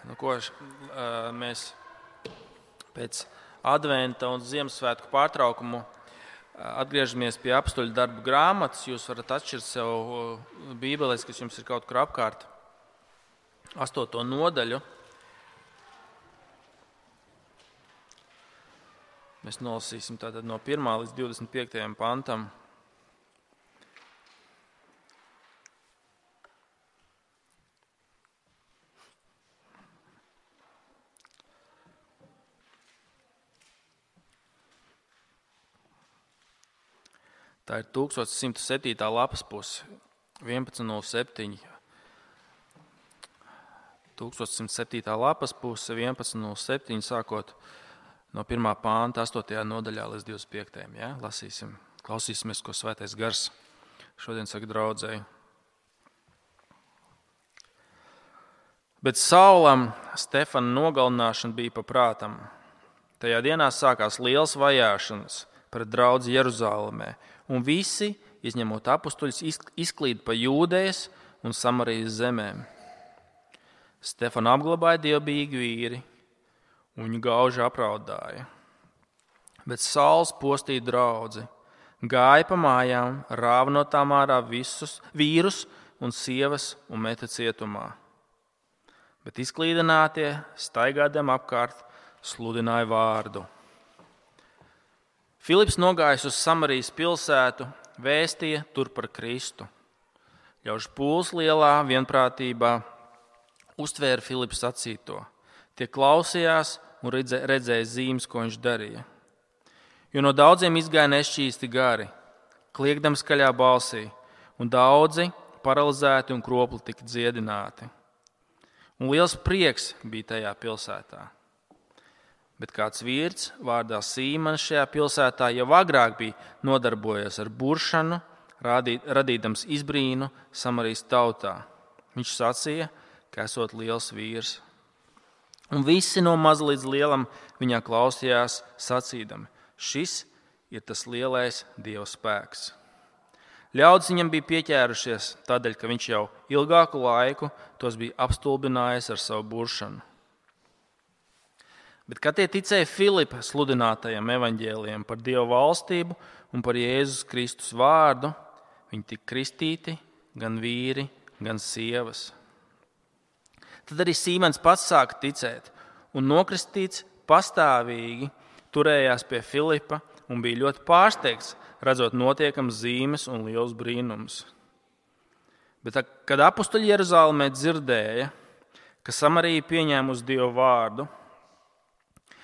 Mēs pēc adventa un Ziemassvētku pārtraukumu atgriežamies pie apstuļu darbu grāmatas. Jūs varat atšķirt sev bībeles, kas jums ir kaut kur apkārt, 8. nodaļu. Mēs nolasīsim tātad no 1. līdz 25. pantam. Tā ir 1107. lapas puse, 11.07. 1107. lapas puse, 11.07. sākot no 1. pānta, 8. nodaļā līdz 25. Ja? Lasīsim, klausīsimies, ko Svētais Gars šodien saka draudzēji. Bet Saulam Stefana nogalināšana bija paprātam. Tajā dienā sākās liels vajāšanas pret draudzi Jeruzālēmē, un visi, izņemot apustuļus, izklīd pa Jūdejas un Samarijas zemēm. Stefanu apglabāja dievbijīgi vīri, un viņu gauži apraudāja. Bet Sauls postīja draudzi, gāja pa mājām, rāva no tām ārā visus vīrus un sievas un meta cietumā. Bet izklīdinātie, staigādiem apkārt, sludināja vārdu. Filips nogājis uz Samarijas pilsētu, vēstīja tur par Kristu. Ļaužu pūles lielā vienprātībā uztvēra Filips sacīto. Tie klausījās un redzēja zīmes, ko viņš darīja. Jo no daudziem izgāja nešķīsti gari, kliegdam skaļā balsī, un daudzi paralizēti un kropli tika dziedināti. Un liels prieks bija tajā pilsētā. Bet kāds vīrs vārdā Sīmanis šajā pilsētā jau agrāk bija nodarbojies ar buršanu, radīdams izbrīnu Samarijas tautā. Viņš sacīja, ka esot liels vīrs. Un visi no maza līdz lielam viņā klausījās sacīdami, šis ir tas lielais Dieva spēks. Ļaudis viņam bija pieķērušies tādēļ, ka viņš jau ilgāku laiku tos bija apstulbinājis ar savu buršanu. Bet, kad tie ticēja Filipa sludinātajam evaņģēlijam par Dieva valstību un par Jēzus Kristus vārdu, viņi tika kristīti, gan vīri, gan sievas. Tad arī Sīmens pats sāka ticēt un nokristīts pastāvīgi turējās pie Filipa un bija ļoti pārsteigts, redzot notiekams zīmes un liels brīnums. Bet, kad apustuļi Jeruzālēmē dzirdēja, ka Samarija pieņēmusi Dieva vārdu,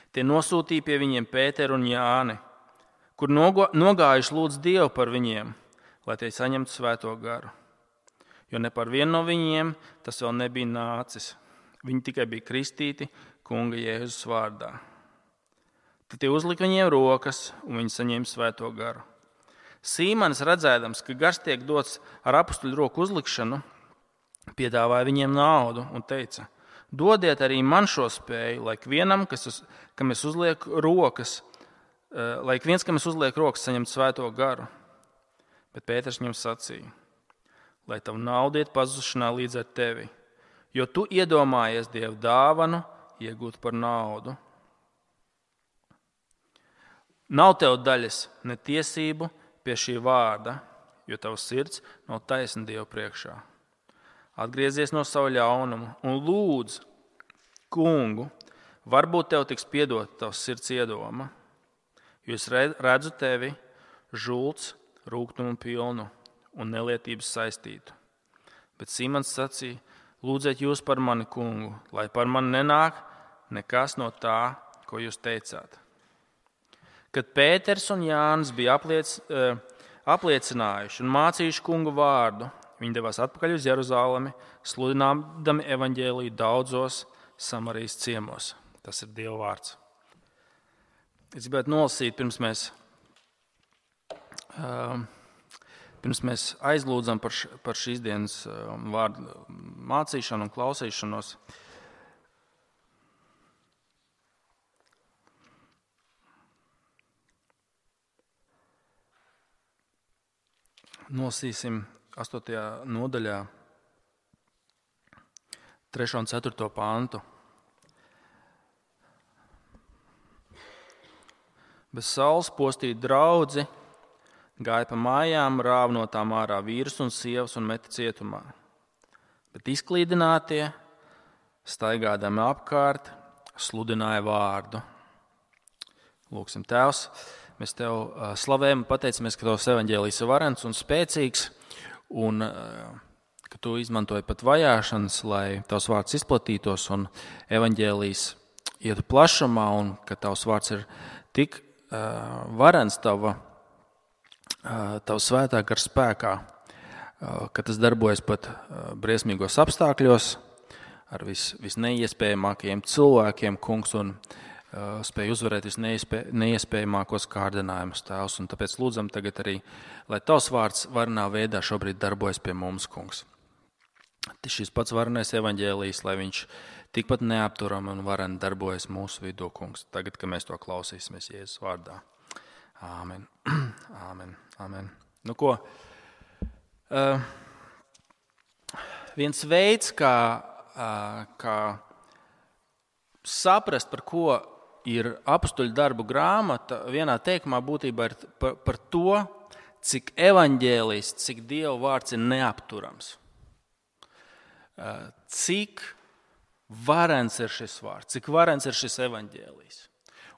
tie nosūtīja pie viņiem Pēteru un Jāni, kur nogājuši lūdz Dievu par viņiem, lai tie saņemtu svēto garu. Jo ne par vienu no viņiem tas vēl nebija nācis. Viņi tikai bija kristīti kunga Jēzus vārdā. Tad tie uzlika viņiem rokas, un viņi saņēma svēto garu. Sīmanis, redzēdams, ka gars tiek dots ar apustuļu roku uzlikšanu, piedāvāja viņiem naudu un teica: dodiet arī man šo spēju, lai vienam, kam es uzlieku rokas, saņemtu svēto garu. Bet Pēters viņam sacīja: lai tavu naudu iet pazušanā līdz ar tevi, jo tu iedomājies Dieva dāvanu iegūt par naudu. Nav tev daļas ne tiesību pie šī vārda, jo tavs sirds nav taisna Dieva priekšā. Atgriezies no savu ļaunumu un lūdz kungu, varbūt tev tiks piedota tavs sirds iedoma, jo es redzu tevi žults, rūgtumu pilnu un nelietības saistītu. Bet Sīmans sacīja: lūdziet jūs par mani, kungu, lai par mani nenāk nekas no tā, ko jūs teicāt. Kad Pēters un Jānis bija apliecinājuši un mācījuši kungu vārdu, viņi devās atpakaļ uz Jeruzālemi, sludinādami evaņģēliju daudzos Samarijas ciemos. Tas ir Dieva vārds. Es gribētu nolasīt, pirms mēs aizlūdzam par šīs dienas vārdu mācīšanu un klausīšanos. Nolasīsim 8. nodaļā 3. un 4. pāntu. Bez saules postīja draudzi, gāja pa mājām, rāva no tām ārā vīrus un sievas un meta cietumā. Bet izklīdinātie, staigādami apkārt, sludināja vārdu. Lūksim, Tēvs, mēs Tev slavējam un pateicamies, ka Tavs evaņģēlijs ir varens un spēcīgs, un ka Tu izmantoji pat vajāšanas, lai Tavs vārds izplatītos, un evaņģēlijs ietu plašumā, un ka Tavs vārds ir tik varens Tava svētā gara spēkā, ka tas darbojas pat briesmīgos apstākļos, ar visneiespējamākajiem cilvēkiem, kungs, un spēj uzvarēt visneiespējamākos kārdinājumus, Tēvs. Un tāpēc lūdzam tagad arī, lai Tavs vārds varenā veidā šobrīd darbojas pie mums, kungs. Šis pats varenais evaņģēlijs, lai viņš tikpat neapturam un varen darbojas mūsu vidū, kungs. Tagad, kad mēs to klausīsimies Jēzus vārdā. Āmen. Āmen. Āmen. Nu ko? Viens veids, kā saprast, par ko ir apustuļu darbu grāmata, vienā teikumā būtībā ir par to, cik evaņģēlijs, cik Dieva vārds ir neapturams. Cik varens ir šis vārds, cik varens ir šis evaņģēlijs.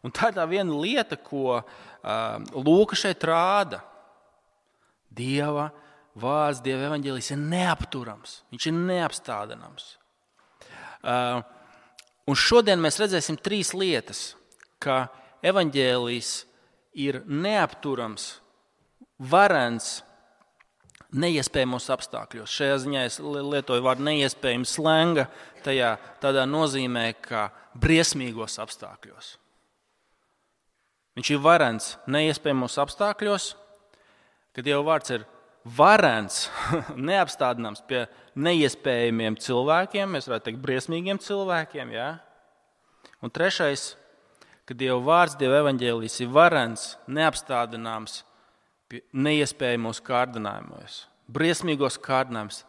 Un tā ir tā viena lieta, ko Lūka šeit rāda. Dieva vārds, Dieva evaņģēlijs ir neapturams, viņš ir neapstādināms. Un šodien mēs redzēsim 3 lietas, ka evaņģēlijs ir neapturams, varens, neiespējamos apstākļos. Šajā ziņā es lietoju vārdu neiespējams slenga, tādā nozīmē, ka briesmīgos apstākļos. Viņš ir varens neiespējamos apstākļos, kad Dieva vārds ir varens, neapstādināms pie neiespējamiem cilvēkiem, mēs varētu teikt briesmīgiem cilvēkiem. Ja? Un 3. ka Dieva vārds, Dieva evaņģēlijs ir varens, neapstādināms pie neiespējamos kārdinājumos. Briesmīgos kārdinājumus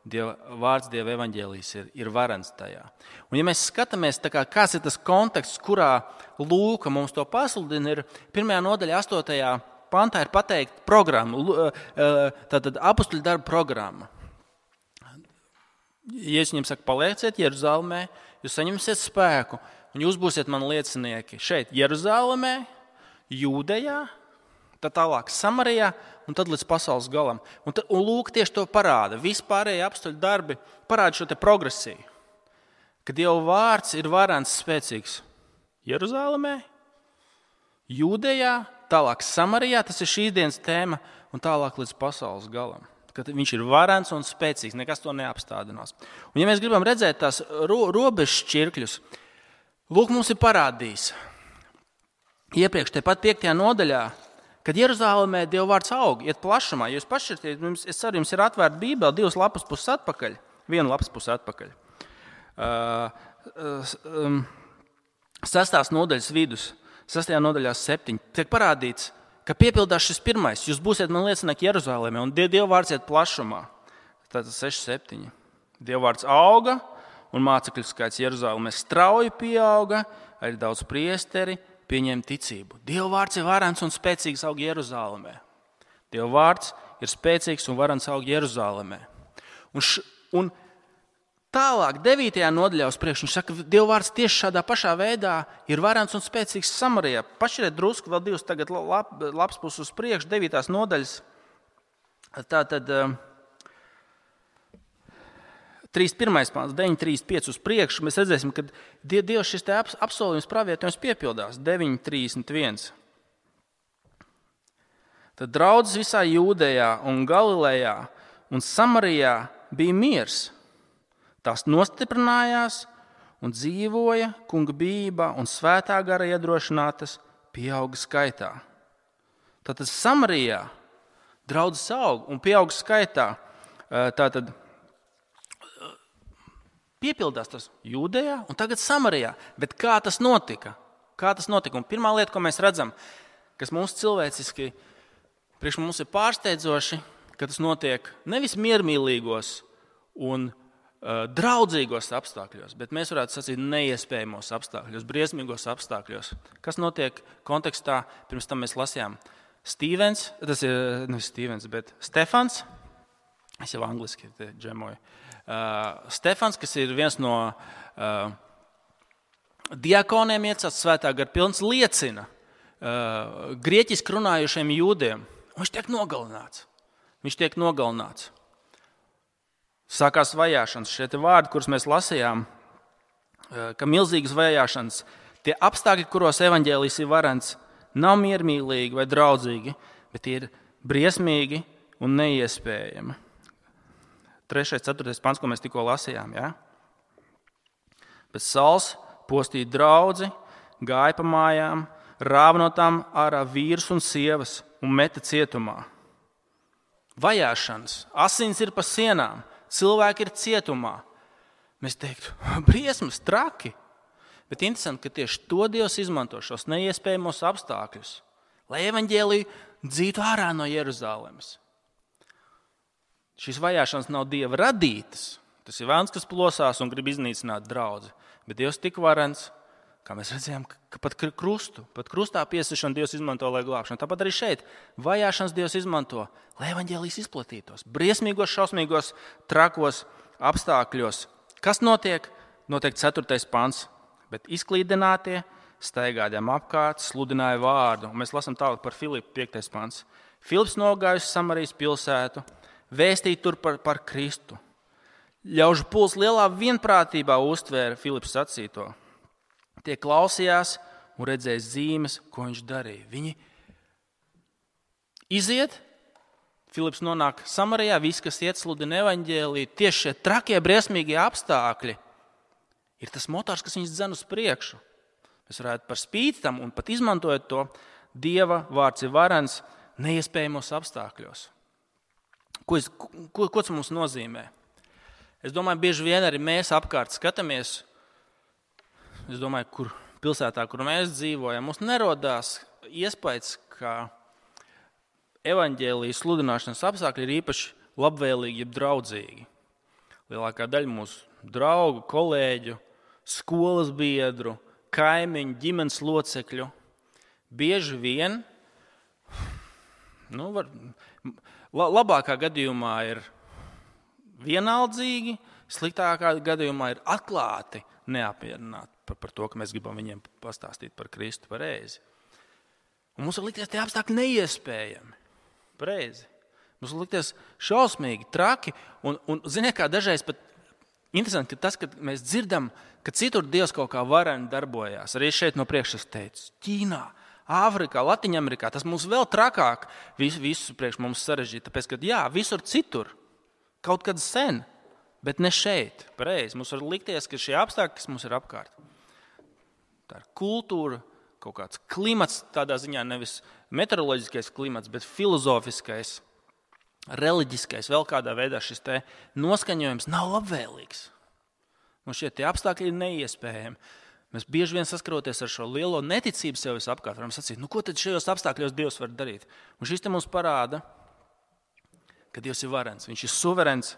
Dieva vārds, Dieva evaņģēlijs ir varens tajā. Un ja mēs skatāmies, kāds ir tas konteksts, kurā Lūka mums to pasludina, ir 1. nodaļa 8. pantā ir pateikta programma, tātad apustuļu darba programma. Jēzus viņiem saka, palieciet Jeruzalemē, jūs saņemsiet spēku, un jūs būsiet mani liecinieki šeit Jeruzalemē, Jūdejā, tad tālāk Samarijā, un tad līdz pasaules galam. Un Lūka tieši to parāda. Vispārējie apustuļu darbi parāda šo te progresiju, ka Dieva vārds ir varens, spēcīgs Jeruzalemē, Jūdejā, tālāk Samarijā, tas ir šīs dienas tēma, un tālāk līdz pasaules galam. Kad viņš ir varens un spēcīgs, nekas to neapstādinās. Un ja mēs gribam redzēt tās robežu šķirkļus, Lūk mums ir parādījis. Iepriekš tepat 5. nodaļā, kad Jeruzalemē Dieva vārds aug, iet plašumā, jūs pašķirtiet, es ceru, jums ir atvērta Bībele 2 lapas puses atpakaļ, 1 lapas puses atpakaļ. 6. nodaļas vidus. 6. nodaļā 7. tiek parādīts, ka piepildās šis 1. Jūs būsiet man liecinieki Jeruzalemē, un Dieva vārds iet plašumā. Tātad 6-7. Dieva vārds auga, un mācekļu skaits Jeruzalemē strauji pieauga, arī daudz priesteri pieņēma ticību. Dieva vārds ir varens un spēcīgs aug Jeruzalemē. Dieva vārds ir spēcīgs un varens aug Jeruzalemē. Un tālāk, 9. nodaļā uz priekšu, viņš saka, ka Dieva vārds tieši šādā pašā veidā ir varens un spēcīgs Samarijā. Pašķiriet drusku, vēl 2 tagad lapas puses uz priekšu, 9. nodaļas. Tātad 3.1. pāns, 9.35 uz priekšu, mēs redzēsim, ka Dievs šis te apsolījums pravietojums piepildās. 9.31. Tad draudzes visā Jūdejā un Galilejā un Samarijā bija miers. Tās nostiprinājās un dzīvoja kunga bijībā un svētā gara iedrošinātas pieauga skaitā. Tātad Samarijā draudzes aug un pieauga skaitā. Tātad piepildās tas Jūdejā un tagad Samarijā. Bet kā tas notika? Un pirmā lieta, ko mēs redzam, kas mums cilvēciski priekš mums ir pārsteidzoši, ka tas notiek nevis miermīlīgos un draudzīgos apstākļos, bet mēs varētu sacīt neiespējamos apstākļos, briesmīgos apstākļos. Kas notiek kontekstā? Pirms tam mēs lasījām Stefans, es jau angliski džemoju. Stefans, kas ir viens no diakoniem iecelts svētā gara pilns, liecina grieķiski runājušiem jūdiem. Viņš tiek nogalināts. Sākās vajāšanas. Šie vārdi, kurus mēs lasījām, ka milzīgas vajāšanas, tie apstākļi, kuros evaņģēlijs ir varens, nav miermīlīgi vai draudzīgi, bet tie ir briesmīgi un neiespējami. 3. 4. pants, ko mēs tikko lasījām. Ja? Bet Sauls postīja draudzi, gāja pa mājām, rāva no tām ārā vīrus un sievas un meta cietumā. Vajāšanas, asins ir pa sienām, cilvēki ir cietumā. Mēs teiktu, briesmas, traki. Bet interesanti, ka tieši to Dievs izmanto šos neiespējamos apstākļus, lai evaņģēliju dzītu ārā no Jeruzalemes. Šīs vajāšanas nav Dieva radītas. Tas ir vēlns, kas plosās un grib iznīcināt draudzi. Bet Dievs tik varens, kā mēs redzējām, ka pat krustā piesišanu Dievs izmanto, lai glābšanu. Tāpat arī šeit vajāšanas Dievs izmanto, lai evaņģēlijs izplatītos. Briesmīgos, šausmīgos, trakos apstākļos. Kas notiek? Notiek 4. pants. Bet izklīdinātie staigādām apkārt, sludināja vārdu. Un mēs lasām tālāk par Filipu 5. pants. Filips nogājusi Samarijas pilsētu, vēstīja tur par Kristu. Ļaužu puls lielā vienprātībā uztvēra Filips sacīto. Tie klausījās un redzēja zīmes, ko viņš darīja. Viņi iziet, Filips nonāk Samarijā, viss, kas iet sludina evaņģēliju, tieši šie trakie, briesmīgie apstākļi ir tas motors, kas viņus dzen uz priekšu. Mēs varētu par spīti tam un pat izmantojot to, Dieva vārds ir varens neiespējamos apstākļos. Ko tas mums nozīmē? Es domāju, bieži vien arī mēs apkārt skatāmies, es domāju, kur pilsētā, kur mēs dzīvojam, mums nerodās iespējas, ka evaņģēlijas sludināšanas apstākļi ir īpaši labvēlīgi, jeb draudzīgi. Lielākā daļa mūsu draugu, kolēģu, skolas biedru, kaimiņu, ģimenes locekļu bieži vien, labākā gadījumā ir vienaldzīgi, sliktākā gadījumā ir atklāti neapmierināti par to, ka mēs gribam viņiem pastāstīt par Kristu pareizi. Un mums var likties tie apstākļi neiespējami. Pareizi. Mums var likties šausmīgi, traki. Un ziniet, kā dažreiz pat interesanti, ka tas, kad mēs dzirdam, ka citur Dievs kaut kā vareni darbojās. Arī šeit no priekšas teicu, Ķīnā, Āfrikā, Latviņamerikā, tas mums vēl trakāk visu priekš mums sarežģīt. Tāpēc, ka jā, visur citur, kaut kad sen, bet ne šeit. Pareizi. Mums var likties, ka šie apstākļi, kas mums ir apkārt, tā ir kultūra, kaut kāds klimats, tādā ziņā nevis meteoroloģiskais klimats, bet filozofiskais, reliģiskais, vēl kādā veidā šis te noskaņojums nav labvēlīgs. Un šie tie apstākļi ir neiespējami. Mēs bieži vien saskaroties ar šo lielo neticību sev visapkārt, varam sacīt, ko tad šajos apstākļos Dievs var darīt? Un šis te mums parāda, ka Dievs ir varens, viņš ir suverens,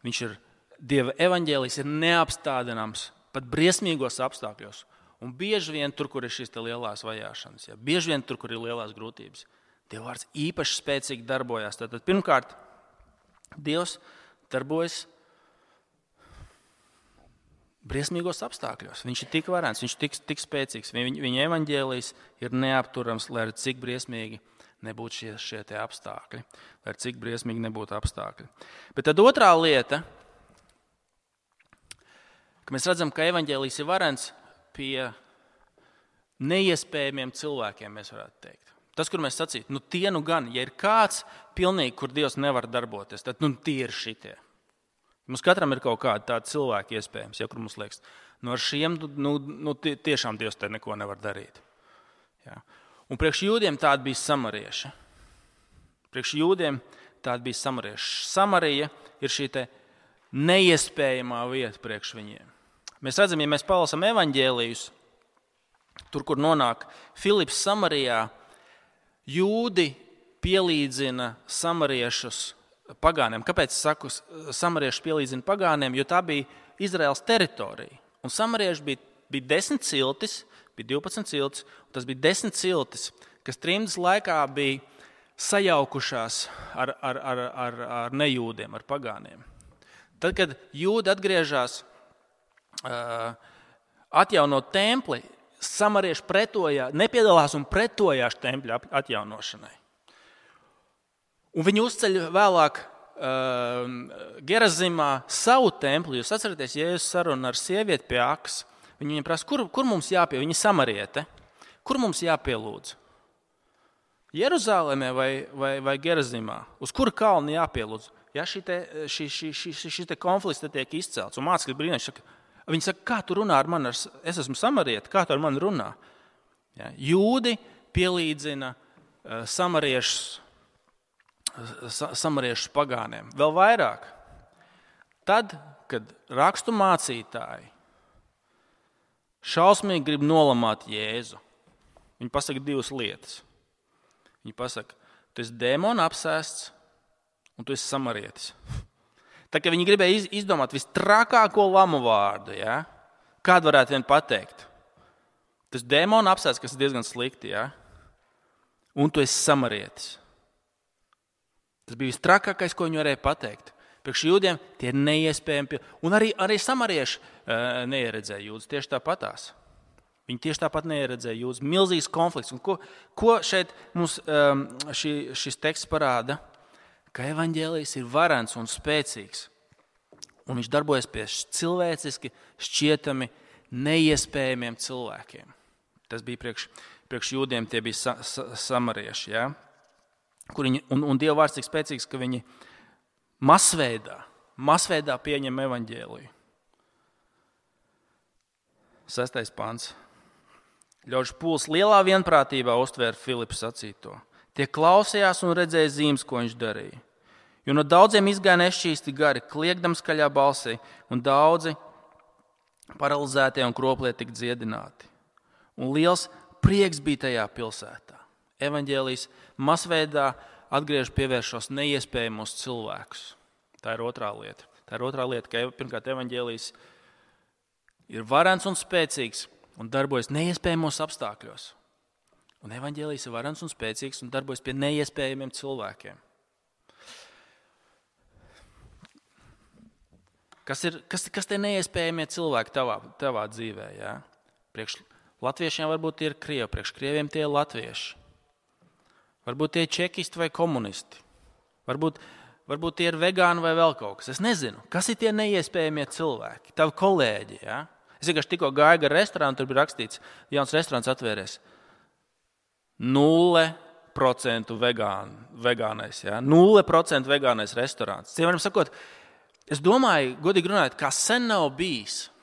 viņš ir Dieva evaņģēlijs ir neapstādināms pat briesmīgos apstākļos. Un bieži vien tur, kur ir šīs lielās vajāšanas, bieži vien tur, kur ir lielās grūtības, Dieva vārds īpaši spēcīgi darbojās. Tātad pirmkārt, Dievs darbojas briesmīgos apstākļos. Viņš ir tik varens, viņš ir tik spēcīgs. Viņa evaņģēlijs ir neapturams, lai arī cik briesmīgi nebūtu šie tie apstākļi. Lai arī cik briesmīgi nebūtu apstākļi. Bet tad otrā lieta, ka mēs redzam, ka evaņģēlijs ir varens pie neiespējamiem cilvēkiem, mēs varētu teikt. Tas, kur mēs sacītu, tie gan, ja ir kāds pilnīgi, kur Dievs nevar darboties, tad tie ir šitie. Mums katram ir kaut kādi tādi cilvēki iespējams, kur mums liekas, ar šiem tiešām Dievs te neko nevar darīt. Ja. Un priekš jūdiem tādi bija samarieši. Samarija ir šī te neiespējamā vieta priekš viņiem. Mēs redzam, ja mēs palasam evaņģēlijus, tur, kur nonāk Filips Samarijā, jūdi pielīdzina samariešus pagāniem. Kāpēc es saku, samarieši pielīdzina pagāniem? Jo tā bija Izraēlas teritorija. Un samarieši bija 10 ciltis, bija 12 ciltis, un tas bija 10 ciltis, kas trimdas laikā bija sajaukušās ar nejūdiem, ar pagāniem. Tad, kad jūdi atgriežas atjaunot templi, samarieši nepiedalās un pretojās tempļa atjaunošanai. Un viņi uzceļ vēlāk Gerazimā savu templi. Jūs atceraties, Jēzus sarunu ar sievieti pie akas. Viņi viņam prasa, kur mums jāpie? Viņa samariete. Kur mums jāpielūdz? Jeruzālēmē vai Gerazimā? Uz kuru kalnu jāpielūdz? Ja šis konflikts tiek izcelts. Un mācekļi brīnās, viņi saka, kā tu runā ar mani? Es esmu samariete, kā tu ar mani runā? Ja, jūdi pielīdzina samariešu pagāniem. Vēl vairāk. Tad, kad rakstu mācītāji šausmīgi grib nolamāt Jēzu, viņi pasaka 2 lietas. Viņi pasaka, tu esi dēmona apsēsts un tu esi samarietis. Tā kā viņi gribēja izdomāt vistrakāko lamu vārdu, ja? Kādu varētu vien pateikt? Tu esi dēmona apsēsts, kas ir diezgan slikti, ja? Un tu esi samarietis. Tas bija vistrakākais, ko viņi varēja pateikt. Priekš jūdiem tie ir neiespējami. Un arī samarieši neieredzēja jūdus tieši tāpatās. Viņi tieši tāpat neieredzēja jūdus. Milzīgs konflikts. Un ko šeit mums šis teksts parāda? Ka evaņģēlijs ir varens un spēcīgs. Un viņš darbojas pie cilvēciski šķietami neiespējamiem cilvēkiem. Tas bija priekš jūdiem, tie bija samarieši, ja? Un Dieva vārds tik spēcīgs, ka viņi masveidā pieņem evaņģēliju. 6. pants. Ļaužu pūls lielā vienprātībā uztvēra Filipa sacīto. Tie klausījās un redzēja zīmes, ko viņš darīja. Jo no daudziem izgāja nešķīsti gari, kliegdam skaļā balsī, un daudzi paralizētie un kroplie tika dziedināti. Un liels prieks bija tajā pilsētā. Evaņģēlijs masveidā atgriež pievēršos neiespējamos cilvēkus. Tā ir otrā lieta. Ka pirmkārt evaņģēlijs ir varens un spēcīgs un darbojas neiespējamos apstākļos. Un evaņģēlijs ir varens un spēcīgs un darbojas pie neiespējamiem cilvēkiem. Kas tie neiespējamie cilvēki tavā dzīvē? Ja? Priekš latviešiem varbūt tie ir krievi, priekš krieviem tie ir latvieši. Varbūt tie ir čekisti vai komunisti. Varbūt tie ir vegāni vai vēl kaut kas. Es nezinu, kas ir tie neiespējamie cilvēki. Tavi kolēģi. Ja? Es vienkārši tikko gāju gar restorānu, tur bija rakstīts, jauns restorāns atvēries. 0% vegānais. Ja? 0% vegānais restorāns. Cilvēkiem sakot, es domāju, godīgi runājot, kā sen nav bijis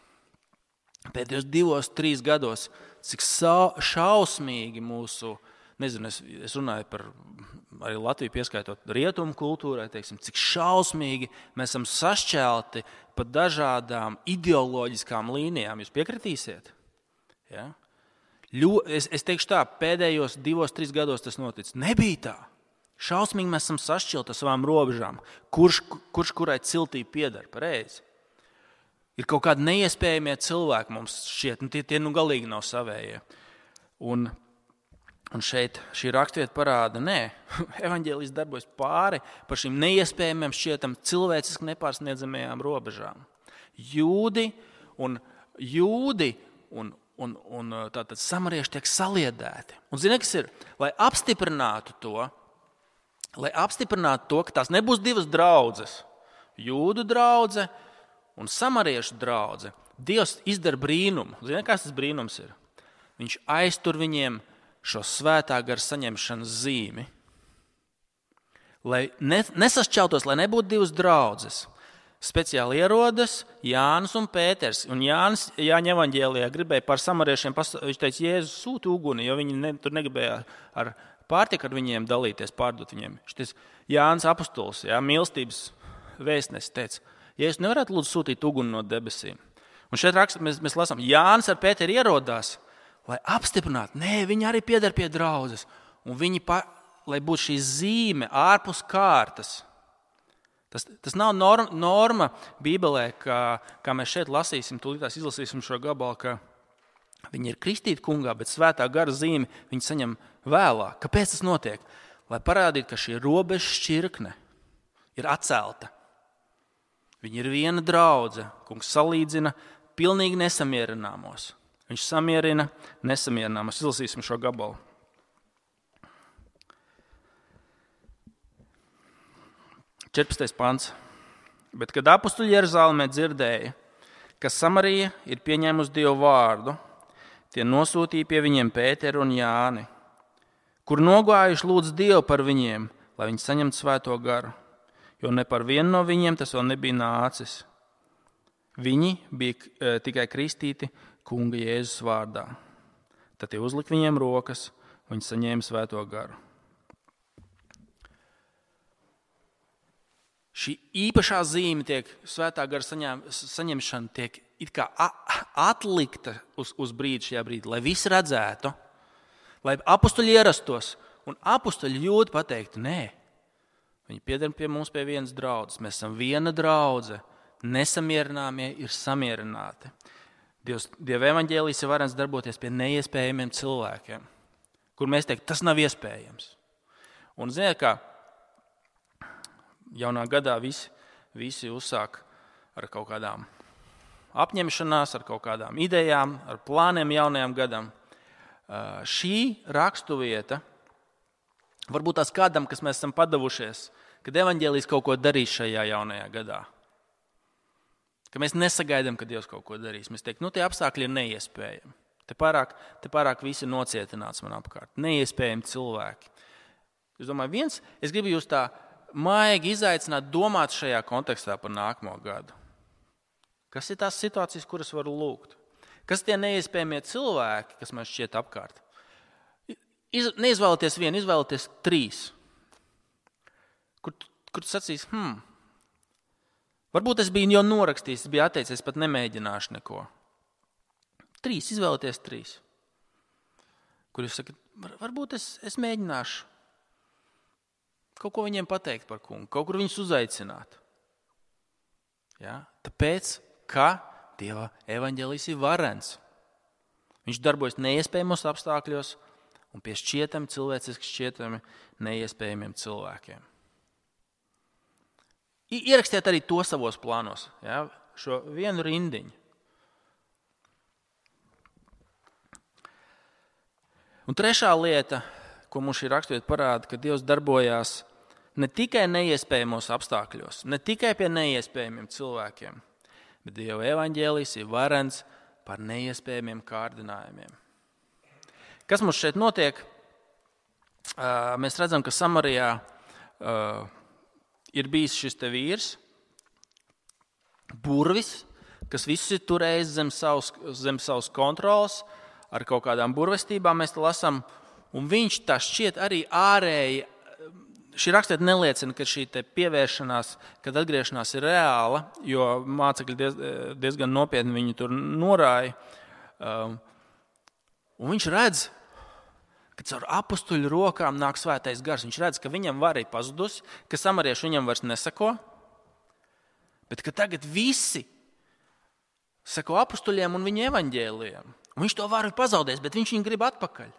pēdējos 2-3 gados, cik šausmīgi mūsu. Nezinu, es runāju par arī Latviju pieskaitot rietumu kultūrai, teiksim, cik šausmīgi mēs esam sašķelti pa dažādām ideoloģiskām līnijām. Jūs piekritīsiet? Ja? Es teikšu tā, pēdējos 2-3 gados tas noticis. Nebija tā. Šausmīgi mēs esam sašķelti ar savām robežām. Kurš kurai ciltī pieder, pareizi? Ir kaut kādi neiespējamie cilvēki mums šķiet, tie galīgi nav savējie. Un šeit šī rakstvieta parāda, evaņģēlijs darbojas pāri par šīm neiespējamiem šķietam cilvēciski nepārsniedzamajām robežām. Jūdi un tātad samarieši tiek saliedēti. Un zini, kas ir? Lai apstiprinātu to, ka tās nebūs 2 draudzes, jūdu draudze un samariešu draudze, Dievs izdara brīnumu. Zini, kas tas brīnums ir? Viņš aiztur viņiem šo svētā gara saņemšanas zīmi, lai nesašķeltos, lai nebūtu 2 draudzes. Speciāli ierodas Jānis un Pēters. Un Jānis Jāņa evaņģēlijā gribēja par samariešiem, viņš teica, Jēzus sūti uguni, jo viņi tur negribēja ar pārtiku ar viņiem dalīties, pārdot viņiem. Šitais Jānis apostols, mīlestības vēstnesis, teica, Jēzus nevarētu lūdzu sūtīt uguni no debesīm. Un šeit mēs lasām, Jānis ar Pēteri ierodās, lai apstiprinātu, viņi arī pieder pie draudzes. Un lai būtu šī zīme ārpus kārtas, Tas nav norma Bībelē, kā mēs šeit lasīsim, tūlītās izlasīsim šo gabalu, ka viņi ir kristīti kungā, bet svētā gara zīmi viņi saņem vēlāk. Kāpēc tas notiek? Lai parādītu, ka šī robeža šķirkne ir atcelta. Viņi ir viena draudze. Kungs salīdzina pilnīgi nesamierināmos. Viņš samierina nesamierināmos. Izlasīsim šo gabalu. Četrpadsmitais pants. Bet, kad apustuļi Jeruzalemē dzirdēja, ka Samarija ir pieņēmusi Dievu vārdu, tie nosūtīja pie viņiem Pēteru un Jāni, kur nogājuši lūdz Dievu par viņiem, lai viņi saņemtu svēto garu, jo ne par vienu no viņiem tas vēl nebija nācis. Viņi bija tikai kristīti kunga Jēzus vārdā. Tad tie uzlika viņiem rokas, un viņi saņēma svēto garu. Šī īpašā zīme svētā gara saņemšana tiek it kā atlikta uz brīdi šajā brīdī, lai visi redzētu, lai apustuļi ierastos, un apustuļi jūt pateiktu, nē, viņi pieder pie mums pie vienas draudzes, mēs esam viena draudze, nesamierināmie ir samierināti. Dieva evaņģēlijs ir varens darboties pie neiespējamiem cilvēkiem, kur mēs teiktu, tas nav iespējams. Un ziniet, kā jaunā gadā visi uzsāk ar kaut kādām apņemšanās, ar kaut kādām idejām, ar plāniem jaunajam gadam. Šī rakstuvieta varbūt tās kādam, kas mēs esam padavušies, kad evaņģēlijs kaut ko darīs šajā jaunajā gadā. Ka mēs nesagaidām, ka Dievs kaut ko darīs. Mēs teiktu, tie apstākļi ir neiespējami. Te pārāk visi nocietināts man apkārt. Neiespējami cilvēki. Es domāju, es gribu jūs tā maigi izaicināt domāt šajā kontekstā par nākamo gadu. Kas ir tās situācijas, kuras varu lūgt? Kas tie neiespējamie cilvēki, kas man šķiet apkārt? Neizvēlieties vienu, izvēlieties 3. Kur tu sacīs, varbūt es biju jau norakstījis, es biju atteicies, pat nemēģināšu neko. 3, izvēlieties 3. Kur jūs sakat, varbūt es mēģināšu kaut ko viņiem pateikt par kungu, kaut kur viņus uzaicināt. Ja? Tāpēc, ka Dieva evaņģēlijs ir varens. Viņš darbojas neiespējamos apstākļos un pie šķietami, cilvēciski šķietami neiespējamiem cilvēkiem. Ierakstiet arī to savos plānos, ja? Šo vienu rindiņu. Un trešā lieta, ko mums šī raksturvieta parāda, ka Dievs darbojās ne tikai neiespējamos apstākļos, ne tikai pie neiespējamiem cilvēkiem, bet Dieva evaņģēlijs ir varens par neiespējamiem kārdinājumiem. Kas mums šeit notiek? Mēs redzam, ka Samarijā ir bijis šis te vīrs, burvis, kas visus ir turējis zem savas kontrolas, ar kaut kādām burvestībām mēs te lasām, un viņš tā šķiet arī ārēji, šī rakstiet neliecina, ka šī te pievēršanās, kad atgriešanās ir reāla, jo mācekļi diezgan nopietni viņu tur norāja. Un viņš redz, ka caur apustuļu rokām nāk svētais gars. Viņš redz, ka viņam vara ir pazudusi, ka samarieši viņam vairs nesako, bet ka tagad visi sako apustuļiem un viņu evaņģēlijiem. Un viņš to varu ir pazaudējis, bet viņš viņu grib atpakaļ.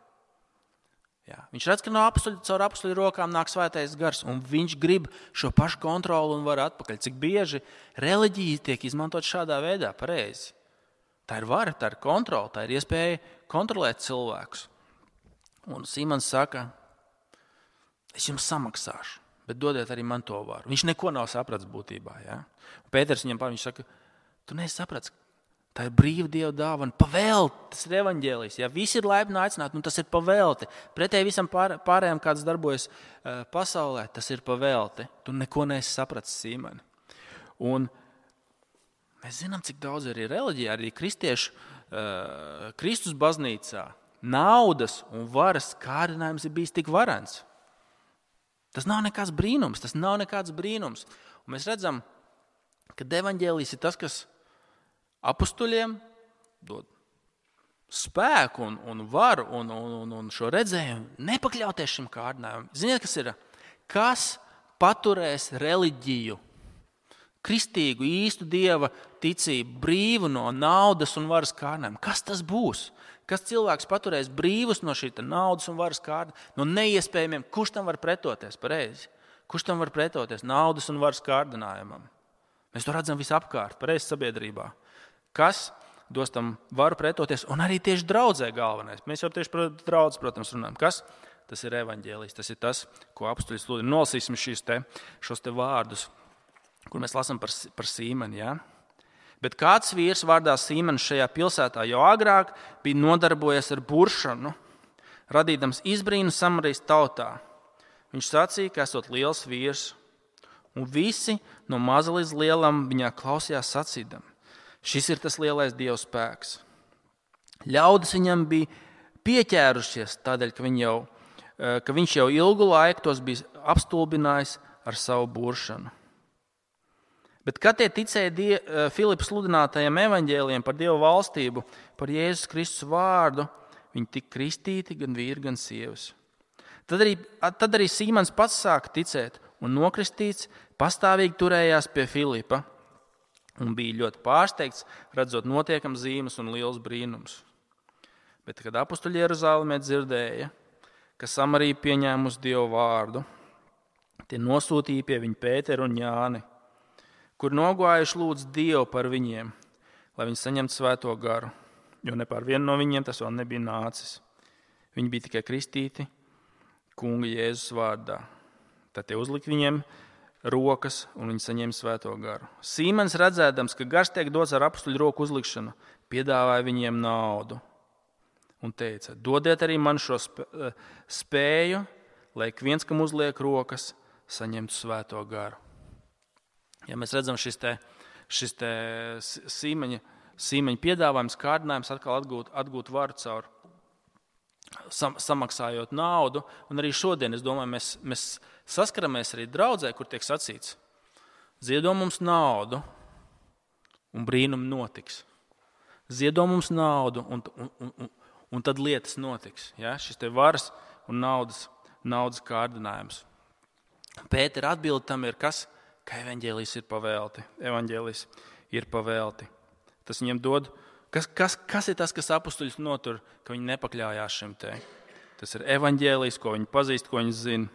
Jā, viņš redz, ka caur apustuļu rokām nāk svētais gars, un viņš grib šo pašu kontroli un varu atpakaļ. Cik bieži reliģija tiek izmantot šādā veidā, pareizi. Tā ir vara, tā ir kontrole, tā ir iespēja kontrolēt cilvēkus. Un Simons saka, es jums samaksāšu, bet dodiet arī man to varu. Viņš neko nav sapratis būtībā. Ja? Un Pēters viņam viņš saka, tu neesi sapratis, tā ir brīva Dieva dāvana, pavēlti, tas ir evaņģēlijs. Ja visi ir laipni aicināti, tas ir pavēlti. Pretēji visam pārējām, kāds darbojas pasaulē, tas ir pavēlti. Tu neko neesi sapratis, Simoni. Un mēs zinām, cik daudz arī reliģijā, arī kristiešu Kristus baznīcā naudas un varas kārdinājums ir bijis tik varens. Tas nav nekāds brīnums, Un mēs redzam, ka evaņģēlijs ir tas, kas apustuļiem dod spēku un varu un šo redzējumu nepakļauties šim kārdinājumam. Ziniet, kas ir? Kas paturēs reliģiju kristīgu, īstu Dieva ticību, brīvu no naudas un varas kārdinājuma. Kas tas būs? Kas cilvēks paturēs brīvus no šī naudas un varas kārdinājuma? No neiespējamiem, kurš tam var pretoties pareizi? Kurš tam var pretoties naudas un varas kārdinājumam? Mēs to redzam visapkārt, pareizi sabiedrībā. Kas dos tam varu pretoties? Un arī tieši draudzē galvenais. Mēs jau tieši par draudzi, protams, runājam. Kas? Tas ir evaņģēlijs. Tas ir tas, ko apustuļi sludina. Nolasīsim šos te vārdus, kur mēs lasām par Sīmeni. Ja? Bet kāds vīrs vārdā Sīmenis šajā pilsētā jau agrāk bija nodarbojies ar buršanu, radīdams izbrīnu Samarijas tautā. Viņš sacīja, ka esot liels vīrs, un visi no maza līdz lielam viņā klausījās sacīdam. Šis ir tas lielais Dieva spēks. Ļaudis viņam bija pieķērušies tādēļ, ka viņš jau ilgu laiku tos bija apstulbinājis ar savu buršanu. Bet kad tie ticēja Filipa sludinātajiem evaņģēlijiem par Dieva valstību, par Jēzus Kristus vārdu, viņi tika kristīti gan vīri, gan sievas. Tad arī Sīmans pats sāka ticēt un nokristīts, pastāvīgi turējās pie Filipa un bija ļoti pārsteigts, redzot notiekam zīmes un liels brīnums. Bet, kad apustuļi Jeruzālēmē dzirdēja, ka Samarija pieņēmusi Dieva vārdu, tie nosūtīja pie viņa Pēteru un Jāni, kur nogājuši lūdz Dievu par viņiem, lai viņi saņemtu svēto garu, jo ne par vienu no viņiem tas vēl nebija nācis. Viņi bija tikai kristīti Kunga Jēzus vārdā. Tad tie uzlika viņiem rokas un viņi saņēma svēto garu. Sīmens redzēdams, ka gars tiek dots ar apustuļu roku uzlikšanu, piedāvāja viņiem naudu un teica, dodiet arī man šo spēju, lai ik viens, kam uzliek rokas, saņemtu svēto garu. Ja mēs redzam šis te Sīmeņa piedāvājums, kārdinājums atkal atgūt varu caur samaksājot naudu, un arī šodien, es domāju, mēs saskaramies arī draudzē, kur tiek sacīts, ziedo mums naudu, un brīnumi notiks. Ziedo mums naudu, un tad lietas notiks. Ja? Šis te varas un naudas kārdinājums. Pētera atbilde tam ir kas? Ka evaņģēlijs ir pavēlti. Tas viņiem dod. Kas ir tas, kas apustuļus notur, ka viņi nepakļājās šim te? Tas ir evaņģēlijs, ko viņi pazīst, ko viņi zina.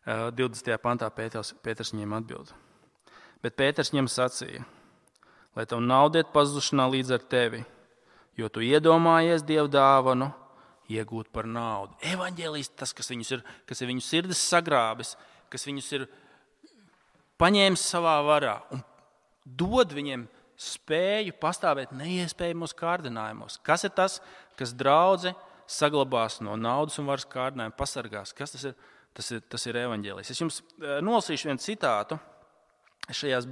20. pantā Pēters viņiem atbild. Bet Pēters viņiem sacīja, lai tavu naudu iet pazušanā līdz ar tevi, jo tu iedomājies Dieva dāvanu iegūt par naudu. Evaņģēlijs tas, kas ir viņu sirdis sagrābis, kas viņus ir paņēmis savā varā un dod viņiem spēju pastāvēt neiespējamos kārdinājumos. Kas ir tas, kas draudzi saglabās no naudas un varas kārdinājuma, pasargās? Kas tas ir? Tas ir evaņģēlijs. Es jums nolasīšu vienu citātu. Šajās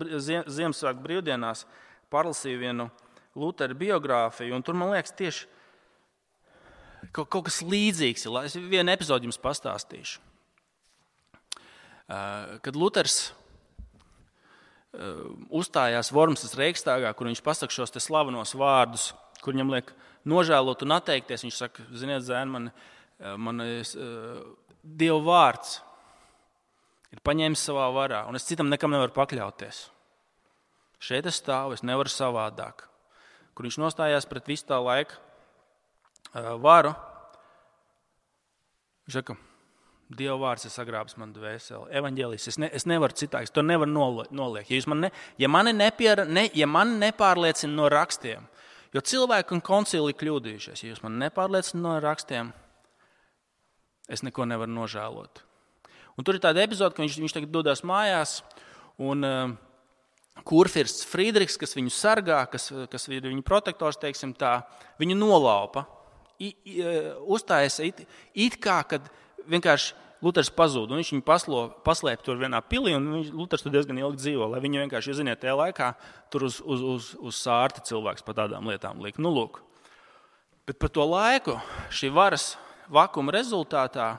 Ziemassvētku brīvdienās parlasīju vienu Lutera biogrāfiju, un tur, man liekas, tieši kaut kas līdzīgs. Es vienu epizodi jums pastāstīšu. Kad Luters uzstājās Vormsas Reikstāgā, kur viņš pasaka šos te slavenos vārdus, kur viņam liek nožēlot un atteikties, viņš saka, ziniet, zēni, man Dieva vārds ir paņēmis savā varā, un es citam nekam nevaru pakļauties. Šeit es stāvu, es nevaru savādāk. Kur viņš nostājās pret visu tā laika varu, viņš saka, Dieva vārds ir sagrābis man dvēseli, evaņģēlijs, es nevaru citāks, to nevaru noliekt. Ja mani nepārliecina no rakstiem, jo cilvēki un koncili kļūdījušies, ja jūs mani nepārliecina no rakstiem, es neko nevaru nožēlot. Un tur ir tāda epizode, ka viņš tagad dodas mājās, un kurfirsts Friedrichs, kas viņu sargā, kas ir viņa protektors, teiksim tā, viņu nolaupa. Uzstājas it kā, kad vienkārši Luters pazūd, un viņš viņu paslēp tur vienā pilī, un Luters tur diezgan ilgi dzīvo, lai viņu vienkārši, jūs ziniet, tajā laikā tur uz sārti cilvēks par tādām lietām liek. Nu, lūk. Bet par to laiku šī varas vakuma rezultātā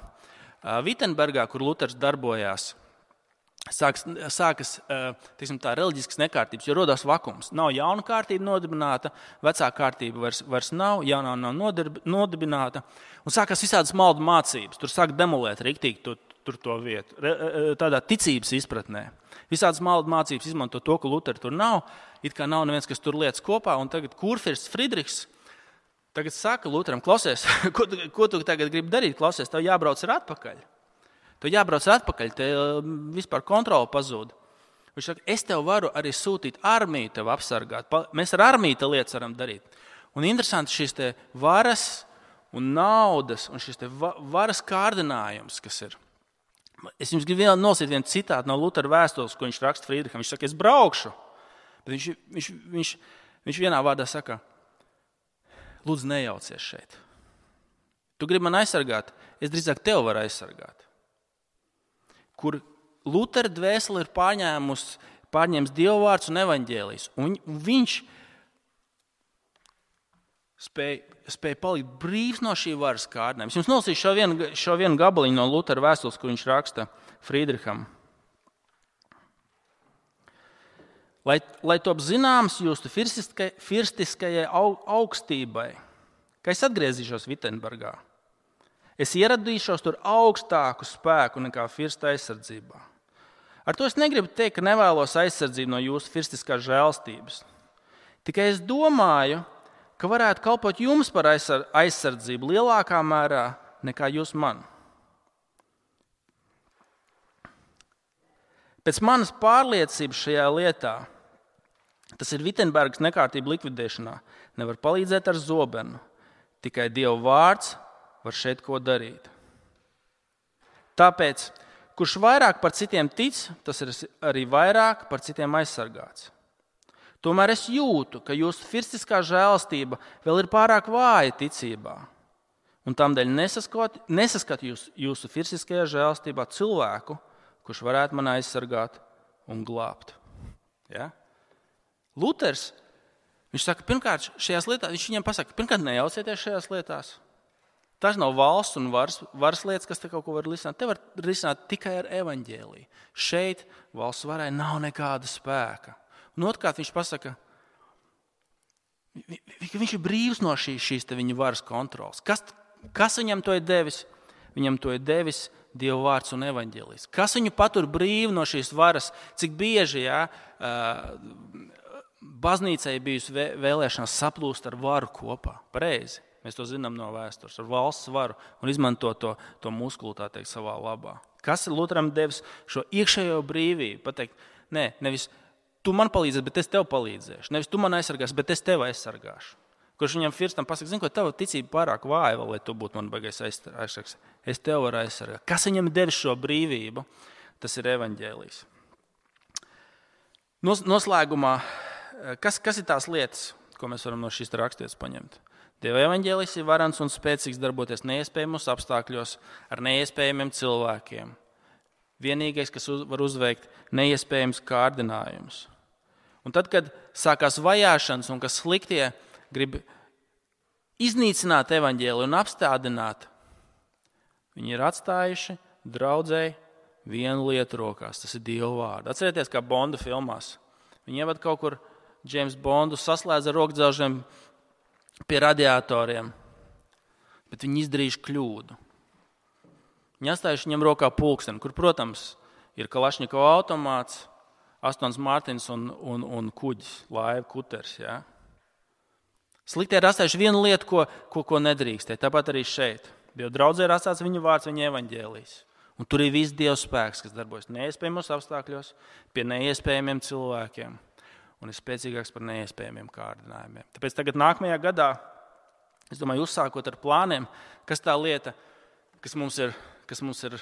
Vitenbergā, kur Luters darbojās, sākas tā, reliģiskas nekārtības, jo rodās vakums. Nav jauna kārtība nodibināta, vecā kārtība vairs nav, jaunā nav nodibināta. Un sākās visādas maldu mācības. Tur sāk demolēt riktīgi tur to vietu. Tādā ticības izpratnē. Visādas maldu mācības izmanto to, ka Lutera tur nav. It kā nav neviens, kas tur lietas kopā. Un tagad kurfirsts Friedrichs tagad saka Luteram, klausies, ko tu tagad gribi darīt? Klausies, tev jābrauc atpakaļ. Te vispār kontrola pazūd. Viņš saka, es tev varu arī sūtīt armiju tev apsargāt. Mēs ar armiju te lietas varam darīt. Un interesanti šīs te varas un naudas un šis te varas kārdinājums, kas ir. Es jums gribu nolasīt vienu citātu no Lutera vēstules, ko viņš raksta Friedricham. Viņš saka, es braukšu. Bet viņš vienā vārdā saka, lūdzu nejaucies šeit. Tu gribi man aizsargāt, es drīzāk tev varu aizsargāt. Kur Lutera dvēsele ir pārņēmis Dieva vārds un evaņģēlijs. Un viņš spēja palikt brīvs no šī varas kārdinājuma. Es jums nolasīšu šo vienu gabaliņu no Lutera vēstules, kur viņš raksta Friedricham. Lai top zināms jūsu firstiskajai augstībai, ka es atgriezīšos Vittenbergā. Es ieradīšos tur augstāku spēku nekā firsta aizsardzībā. Ar to es negribu teikt, ka nevēlos aizsardzību no jūsu firstiskās žēlstības. Tikai es domāju, ka varētu kalpot jums par aizsardzību lielākā mērā nekā jūs man. Pēc manas pārliecības šajā lietā, tas ir Vittenbergas nekārtību likvidēšanā, nevar palīdzēt ar zobenu. Tikai Dieva vārds var šeit ko darīt. Tāpēc, kurš vairāk par citiem tic, tas ir arī vairāk par citiem aizsargāts. Tomēr es jūtu, ka jūsu firstiskā žēlastība vēl ir pārāk vāja ticībā. Un tādēļ nesaskatu jūsu firstiskajā žēlastībā cilvēku, kurš varētu man aizsargāt un glābt. Ja? Luters, viņš saka, pirmkārt, šajās lietās, viņš viņiem pasaka, pirmkārt, nejaucieties šajās lietās. Tas nav valsts un varas lietas, kas te kaut ko var risināt. Te var risināt tikai ar evaņģēliju. Šeit valsts varai nav nekāda spēka. Un otrkārt viņš pasaka, ka viņš ir brīvs no šīs viņa varas kontrolas. Kas viņam to ir devis? Viņam to ir devis Dieva vārds un evaņģēlijs. Kas viņu patur brīvu no šīs varas? Cik bieži baznīcai bijusi vēlēšanās saplūst ar varu kopā? Pareizi. Mēs to zinām no vēstures, ar valsts varu un izmanto to muskulu, tā teikt, savā labā. Kas ir Luteram devis šo iekšējo brīvību? Pateikt, nevis tu man palīdzēsi, bet es tev palīdzēšu. Nevis tu man aizsargāsi, bet es tev aizsargāšu. Kurš viņam firstam pasaka, zini, ko tava ticība pārāk vāja, lai tu būtu man baigais aizsargāts. Es tev varu aizsargāt. Kas viņam devis šo brīvību? Tas ir evaņģēlijs. Noslēgumā, kas ir tās lietas, ko mēs varam no šīs raksturvietas paņemt? Dieva evaņģēlijs ir varans un spēcīgs darboties neiespējamos apstākļos ar neiespējamiem cilvēkiem. Vienīgais, kas var uzveikt neiespējams kārdinājumus. Un tad, kad sākās vajāšanas un kas sliktie grib iznīcināt evaņģēliju un apstādināt, viņi ir atstājuši draudzēji vienu lietu rokās. Tas ir Dieva vārdu. Atcerieties, kā Bonda filmās. Viņi ievad kaut kur James Bondu, saslēdz ar rokdzelžiem pie radiatoriem, bet viņi izdarījuši kļūdu. Viņi atstājuši viņam rokā pulksteni, kur, protams, ir Kalašņikova automāts, Astons Martins un kuģis, laiva, kuters. Ja? Sliktie ir atstājuši vienu lietu, ko nedrīkstē. Tāpat arī šeit. Dieva draudzē ir atstāts viņa vārds, viņa evaņģēlijs. Un tur ir viss Dieva spēks, kas darbojas neiespējamos apstākļos, pie neiespējamiem cilvēkiem. Un ir spēcīgāks par neiespējamiem kārdinājumiem. Tāpēc tagad nākamajā gadā, es domāju, uzsākot ar plāniem, kas tā lieta, kas mums ir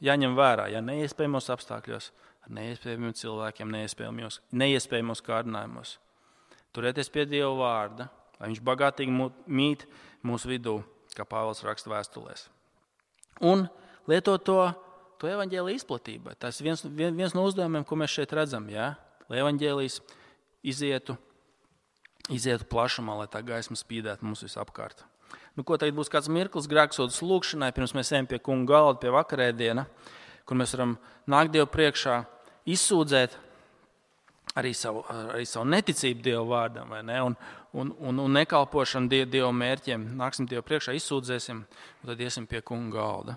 jāņem vērā, ja neiespējamos apstākļos, ar neiespējamiem cilvēkiem, neiespējamos kārdinājumos. Turēties pie Dieva vārda, lai viņš bagātīgi mīt mūsu vidū, kā Pāvils raksta vēstulēs. Un lietot to evaņģēliju izplatībai. Tas ir viens no uzdevumiem, ko mēs šeit redzam, ja? Lai evaņģēlijs izietu plašumā, lai tā gaisma spīdētu mums visapkārt. Ko tagad būs kāds mirklis grēksūdzes lūgšanai, pirms mēs ejam pie kunga galda, pie vakarēdiena, kur mēs varam nākt Dievu priekšā, izsūdzēt arī savu neticību Dieva vārdam, vai ne? Un nekalpošanu Dieva mērķiem. Nāksim Dievu priekšā, izsūdzēsim, un tad iesim pie kunga galda.